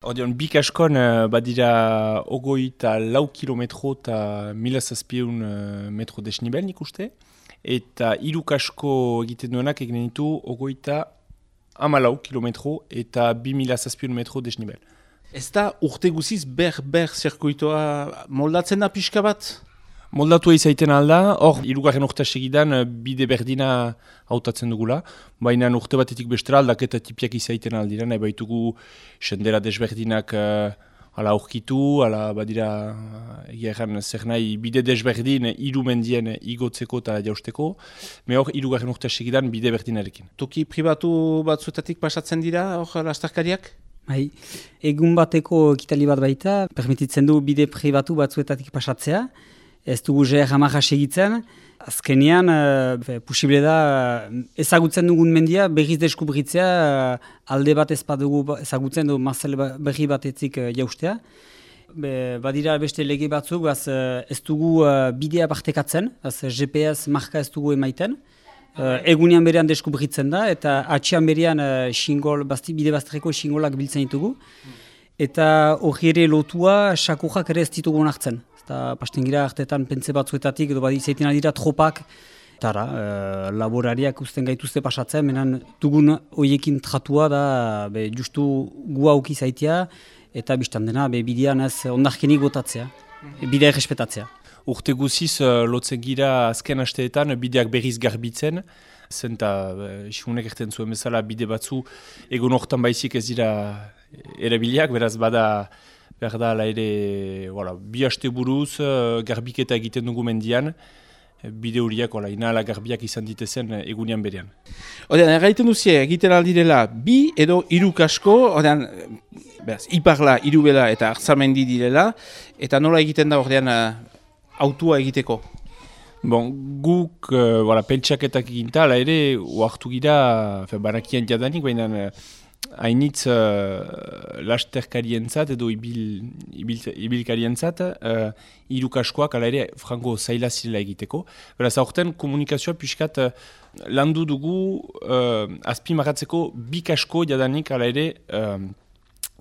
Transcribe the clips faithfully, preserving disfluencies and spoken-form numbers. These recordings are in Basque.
Odeon, bik askon uh, badira ogoi eta lau kilometro eta mila zazpiehun uh, metro desnibel nik uste. Eta hiruk asko egiten duenak egiten ditu ogoi eta hamalau kilometro eta bi mila zazpiehun metro desnibel. Ez da urte guziz ber-ber zirkuitoa moldatzen da pixka bat? Moldatu izaiten alda, hor, hirugarren urte segidan bide berdina hautatzen dugula, baina urte batetik bestera aldaketa tipiak izaiten aldira, nahi baitugu sendera desberdinak uh, ala aurkitu, ala badira egeran zer nahi bide desberdin hiru mendien igotzeko eta jausteko, me hor, hirugarren urte segidan bide berdinarekin. Toki pribatu batzuetatik pasatzen dira, hor lastarkariak? Bai, egun bateko ekitali bat baita, permititzen du bide pribatu batzuetatik pasatzea. Ez dugu G R hamarra segitzen, azkenean uh, posible da uh, ezagutzen dugun mendia berriz deskubritzea uh, alde bat ez badugu ezagutzen du mazel berri batetik uh, jaustea. Be, badira beste lege batzuk, baz, uh, ez dugu uh, bidea partekatzen, baz, G P S marka ez dugu emaiten. Uh, egunean berean deskubritzen da eta atxean berean uh, xingol, basti, bide bazterreko xingolak biltzen ditugu. Eta hori ere lotua sakujak ere ez ditugu onartzen. Eta pastengira artetan pentsa batzuetatik edo badi zaiten dira tropak. Tara, e, laborariak usten gaituzte pasatzen, menan dugun hoiekin tratua da be, justu gu auki zaitea eta biztan dena be, bidean ez ondarkenik botatzea, bidea errespetatzea. Urte guziz uh, lotzen gira azken asteetan bideak berriz garbitzen, zen eta isunek uh, erten zuen bezala bide batzu egun hortan baizik ez dira erabiliak, beraz bada behar da ala ere voilà, bi haste buruz uh, garbiketa egiten dugu mendian, bide horiak inala garbiak izan ditezen egunean berean. Odean, erraiten duzie egiten aldirela bi edo hiru kasko, odean, beraz, iparla, hirubela eta hartzamendi direla, eta nola egiten da ordean uh, autua egiteko? Bon, guk uh, voilà, pentsaketak eginta, ala ere, oartu gira, banakian jadanik, baina uh, hainitz uh, lasterkarientzat edo ibil, ibil, ibilkarientzat uh, hirukaskoak ala ere frango zaila zirela egiteko. Beraz, aurten komunikazioa pixkat uh, landu dugu uh, azpimarratzeko bi kasko jadanik ala ere uh,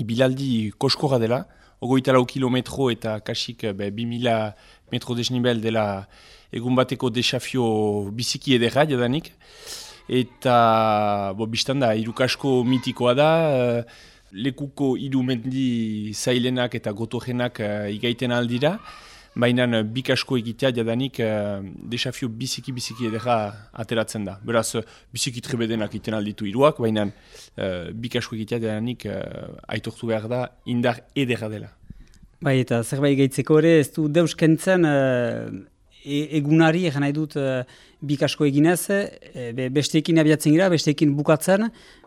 ibilaldi koskorra dela, ogoita lau kilometro eta kasik be, bi mila metro desnibel dela egun bateko desafio biziki edera jadanik. Eta, bo, biztan da, hirukasko mitikoa da, uh, lekuko hiru mendi zailenak eta gotorenak uh, igaiten aldira, baina uh, bikasko egitea jadanik uh, desafio biziki-biziki edera ateratzen da. Beraz, uh, biziki trebedenak egiten alditu hiruak, baina uh, bikasko egitea jadanik uh, aitortu behar da indar edera dela. Bai, eta zerbait gaitzeko ere, ez du deuskentzen uh, e egunari, egan nahi dut, uh, bikasko eginez, e, be, besteekin abiatzen gira, besteekin bukatzen,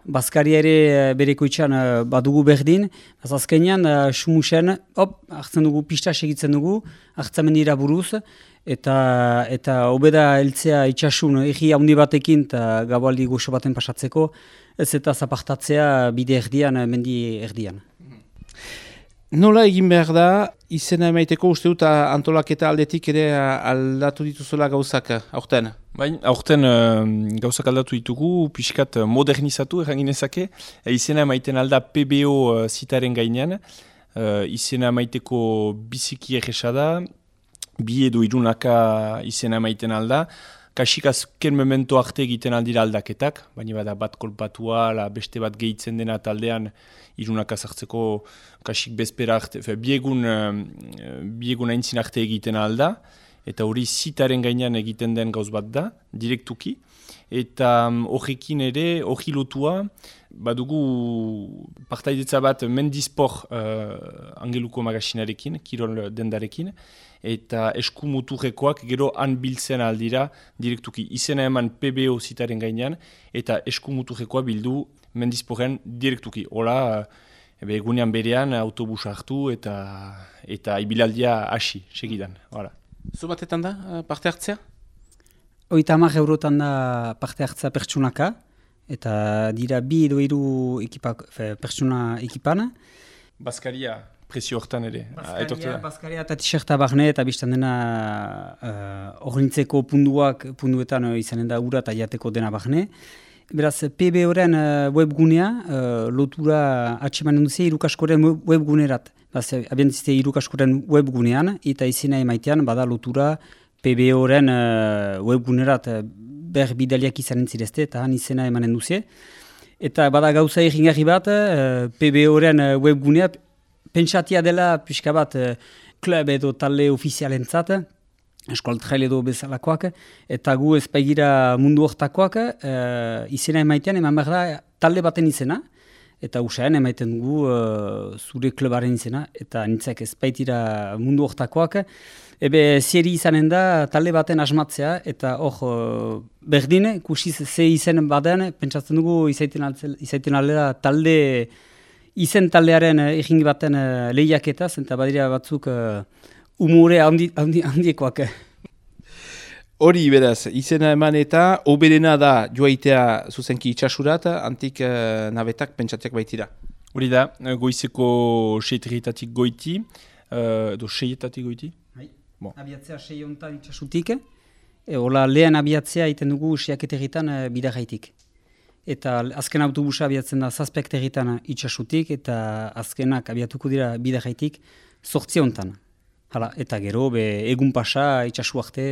Baskari ere bereko itxan uh, badugu berdin, azkenean uh, sumusen, hop, hartzen dugu, pista segitzen dugu, hartzamen dira buruz, eta eta hobeda heltzea itxasun egi handi batekin eta gabaldi goxo baten pasatzeko, ez eta zapartatzea bide erdian, mendi erdian. Nola egin behar da, izena emaiteko uste dut antolaketa aldetik ere aldatu dituzula gauzak, aurten? Baina, aurten uh, gauzak aldatu ditugu, pixkat modernizatu erranginezake, e, izena emaiten alda P B O uh, zitaren gainean, uh, izena emaiteko biziki erresa da, bi edo irunaka izena emaiten alda, kasik azken memento arte egiten aldira aldaketak, baina bada bat kolpatua, la beste bat gehitzen dena taldean irunaka sartzeko kasik bezpera arte, fe, biegun, uh, biegun aintzin arte egiten alda, eta hori zitaren gainean egiten den gauz bat da, direktuki, eta horrekin um, ere, hori lotua, badugu partaidetza bat mendispor uh, Angeluko magasinarekin, kirol dendarekin, eta eskumuturrekoak gero han biltzen aldira direktuki. Izena eman P B O zitaren gainean, eta eskumuturrekoa bildu mendisporen direktuki. Hola, ebe, egunean berean autobusa hartu eta eta ibilaldia hasi, segidan. Hala. Zu batetan da parte hartzea? Oita hamar eurotan da parte hartzea pertsunaka, eta dira bi edo hiru ekipak, fe, pertsuna ekipan. Baskaria presio hortan ere. Baskaria, Baskaria eta t-shirta barne eta biztan dena hor uh, nintzeko punduak, punduetan uh, izanen da ura eta jateko dena barne. Beraz, P B O-ren uh, webgunea, uh, lotura atxemanen duzia irukaskoren webgunerat. Beraz, abientzite irukaskoren webgunean, eta izena emaitean, bada lotura P B O-ren uh, webgunerat uh, ber bidaliak izanen zirezte, eta han izena emanen duzia. Eta bada gauza egingarri bat, uh, P B O-ren uh, webgunea, pentsatia dela pixka bat uh, klub edo talde ofizialentzat, eskualtrail edo bezalakoak, eta gu ezpaigira mundu hortakoak, uh, izena emaitean, eman behar da talde baten izena, eta usain emaiten dugu uh, zure klubaren izena, eta nintzak ezpaitira mundu hortakoak, ebe zieri izanen da talde baten asmatzea, eta hor uh, berdin, kusiz ze izen baden, pentsatzen dugu izaiten, altzela, izaiten aldera talde, izen taldearen egingi baten uh, lehiaketaz, eta badira batzuk uh, umore handi, handi, handiekoak. Hori beraz, izena eman eta oberena da joaitea zuzenki itxasurat, antik uh, nabetak pentsatiak baitira. Hori da, goizeko seietatik goiti, uh, edo seietatik goiti? Bai, bon. Abiatzea sei hontan itxasutik, e, hola lehen abiatzea iten dugu seiaketegitan uh, bidarraitik. Eta azken autobusa abiatzen da zazpektegitan itxasutik, eta azkenak abiatuko dira bidarraitik sortzi hontan. Hala, eta gero, be, egun pasa, itxasu arte,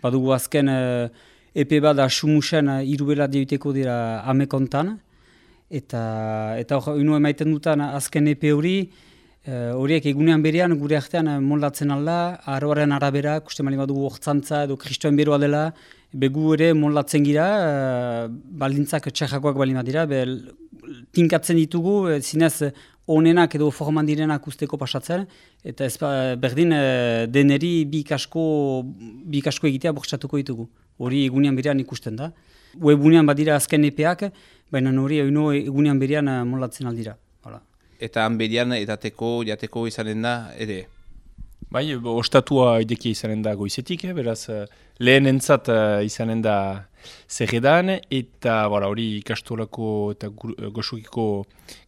badugu azken uh, epe bat asumusen uh, irubela deuteko dira amekontan, eta eta hor, unu emaiten dutan azken epe hori, uh, horiek egunean berean gure artean uh, moldatzen alda, aroaren arabera, kuste mali badugu hortzantza edo kristoen beroa dela, begu ere moldatzen gira, uh, baldintzak txarrakoak balima dira, be, tinkatzen ditugu, uh, zinez, onenak edo forman direnak usteko pasatzen, eta ez berdin deneri bi ikasko, bi ikasko egitea bortxatuko ditugu. Hori egunean berean ikusten da. Webunean badira azken epeak, baina hori egunean berean molatzen aldira. Hala. Eta han berean edateko, jateko izanen da, ere? Bai, ostatua idekia izanen da goizetik, eh? Beraz, lehen entzat uh, izanen da zerredan, eta hori ikastolako eta goxokiko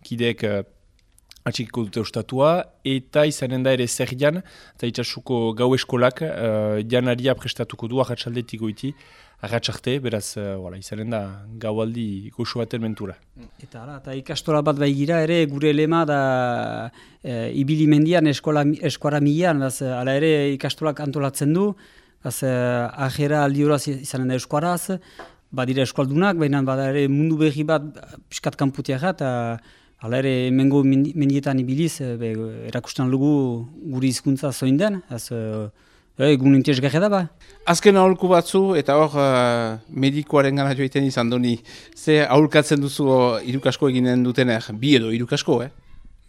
kideek uh, atxikiko dute ostatua, eta izanen da ere zerrian, eta itxasuko gau eskolak uh, janaria prestatuko du arratsaldetik goiti, arratsarte, beraz, uh, voilà, izanen da gaualdi goxo baten mentura. Eta ala, eta ikastola bat baigira ere, gure lema da e, ibili mendian eskola, eskuara milan, ala ere ikastolak antolatzen du, baz, e, ajera aldioraz izanen da eskuaraz, badira eskualdunak, baina bada ere mundu berri bat piskat kanputiak eta hala ere, emengo mendietan ibiliz, be, erakusten lugu guri hizkuntza zoin den, ez egun intezgarria da ba. Azken aholku batzu, eta hor uh, medikoaren gana joiten izan doni, ze aholkatzen duzu irukasko eginen dutener, bi edo irukasko, eh?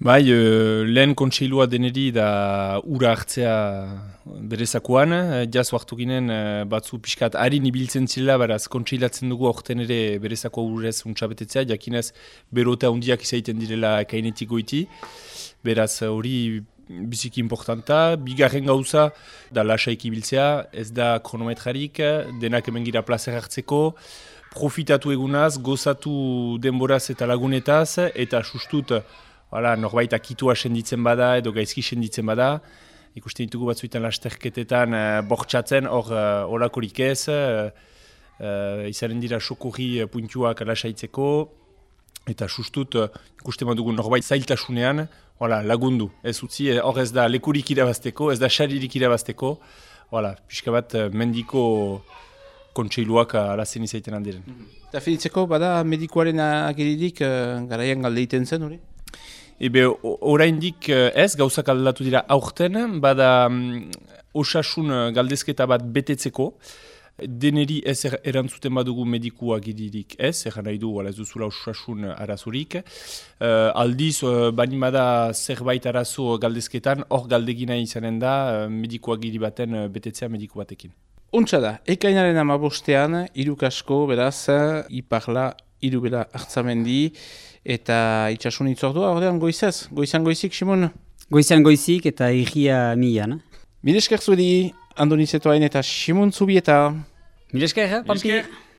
Bai, uh, lehen kontseilua deneri da ura hartzea berezakoan, jaz hartu ginen uh, batzu pixkat harin ibiltzen zila, beraz kontseilatzen dugu aurten ere berezako urez untxabetetzea, jakinez berota hundiak izaiten direla kainetik goiti, beraz hori biziki importanta. Bigarren gauza da lasaik ibiltzea, ez da kronometrarik, denak hemen gira plazer hartzeko, profitatu egunaz, gozatu denboraz eta lagunetaz, eta sustut, Hala, norbait akitua senditzen bada edo gaizki senditzen bada. Ikusten ditugu batzuetan lasterketetan uh, bortxatzen, hor uh, olakorik ez. Uh, uh, izanen dira sokorri puntuak lasaitzeko. Eta sustut, uh, ikusten badugu norbait zailtasunean, hala, lagundu. Ez utzi, hor ez da lekurik irabazteko, ez da xaririk irabazteko. Hala, pixka bat uh, mendiko kontseiluak alazen izaiten handiren. Eta finitzeko, bada medikoaren ageririk uh, garaian galde iten zen, hori? Ebe, oraindik ez, gauzak aldatu dira aurten, bada um, osasun galdezketa bat betetzeko, deneri ez er, erantzuten badugu medikua giririk ez, eran nahi du, ez duzula osasun arazorik. Uh, aldiz, uh, banimada zerbait arazo galdezketan, hor galdegina izanen da, uh, medikua giri baten uh, betetzea mediku batekin. Untsa da, ekainaren amabostean, irukasko, beraz, iparla, irubela hartzamendi, eta itxasun itzordua, ordean goizaz, goizan goizik, Simon? Goizan goizik eta irria milan. Milesker zuedi, Andoni Zetoain eta Simon Zubieta. Milesker, Pampi.